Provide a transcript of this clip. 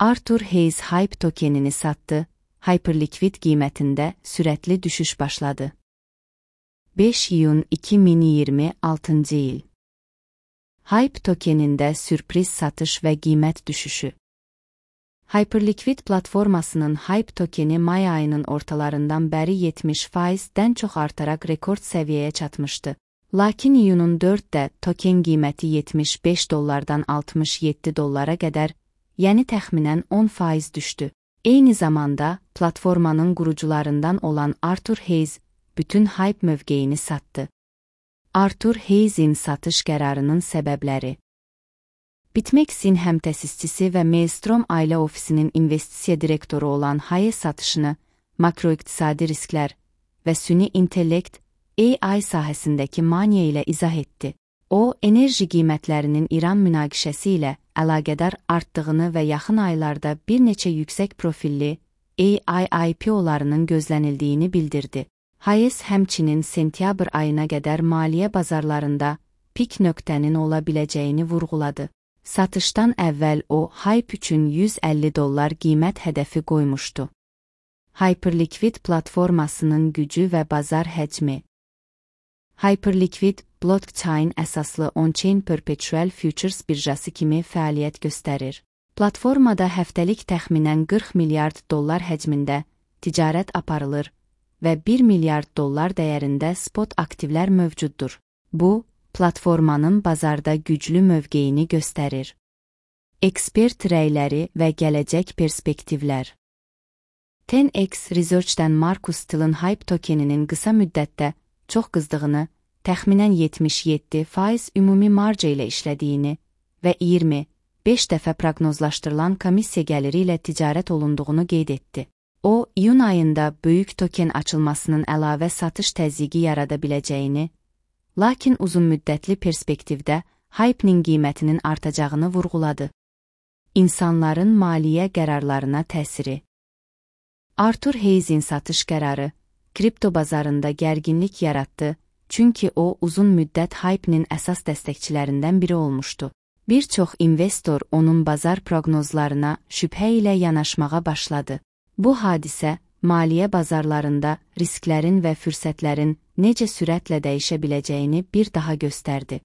Arthur Hayes Hype tokenini sattı, Hyperliquid qiymətində sürətli düşüş başladı. 5 iyun 2026 il. Hype tokenində sürpriz satış və qiymət düşüşü. Hyperliquid platformasının Hype tokeni may ayının ortalarından bəri 70%-dən çox artaraq rekord səviyyəyə çatmışdı. Lakin iyunun 4-də token qiyməti $75-dan $67 qədər, yəni təxminən 10% düşdü. Eyni zamanda, platformanın qurucularından olan Arthur Hayes bütün Hype mövqeyini satdı. Arthur Hayes'in satış qərarının səbəbləri. BitMEX'in həmtəsisçisi və Maelstrom ailə ofisinin investisiya direktoru olan Hayes satışını makroiqtisadi risklər və süni intellekt AI sahəsindəki maniya ilə izah etdi. O, enerji qiymətlərinin İran münaqişəsi ilə əlaqədar artdığını və yaxın aylarda bir neçə yüksək profilli AI IPO-larının gözlənildiyini bildirdi. Hayes həmçinin sentyabr ayına qədər maliyyə bazarlarında pik nöqtənin ola biləcəyini vurğuladı. Satışdan əvvəl o, Hype üçün $150 qiymət hədəfi qoymuşdu. Hyperliquid platformasının gücü və bazar həcmi. Hyperliquid, blockchain əsaslı on-chain perpetual futures birjası kimi fəaliyyət göstərir. Platformada həftəlik təxminən $40 milyard həcmində ticarət aparılır və $1 milyard dəyərində spot aktivlər mövcuddur. Bu, platformanın bazarda güclü mövqeyini göstərir. Ekspert rəyləri və gələcək perspektivlər. 10x Research'dən Marcus Till'in Hype tokeninin qısa müddətdə çox qızdığını, təxminən 77% ümumi marja ilə işlədiyini və 25 dəfə proqnozlaşdırılan komissiya gəliri ilə ticarət olunduğunu qeyd etdi. O, iyun ayında böyük token açılmasının əlavə satış təzyiqi yarada biləcəyini, lakin uzun müddətli perspektivdə Hype'nin qiymətinin artacağını vurğuladı. İnsanların maliyyə qərarlarına təsiri. Arthur Hayes'in satış qərarı kripto bazarında gərginlik yaratdı, çünki o uzun müddət Hype'nin əsas dəstəkçilərindən biri olmuşdu. Bir çox investor onun bazar proqnozlarına şübhə ilə yanaşmağa başladı. Bu hadisə, maliyyə bazarlarında risklərin və fürsətlərin necə sürətlə dəyişə biləcəyini bir daha göstərdi.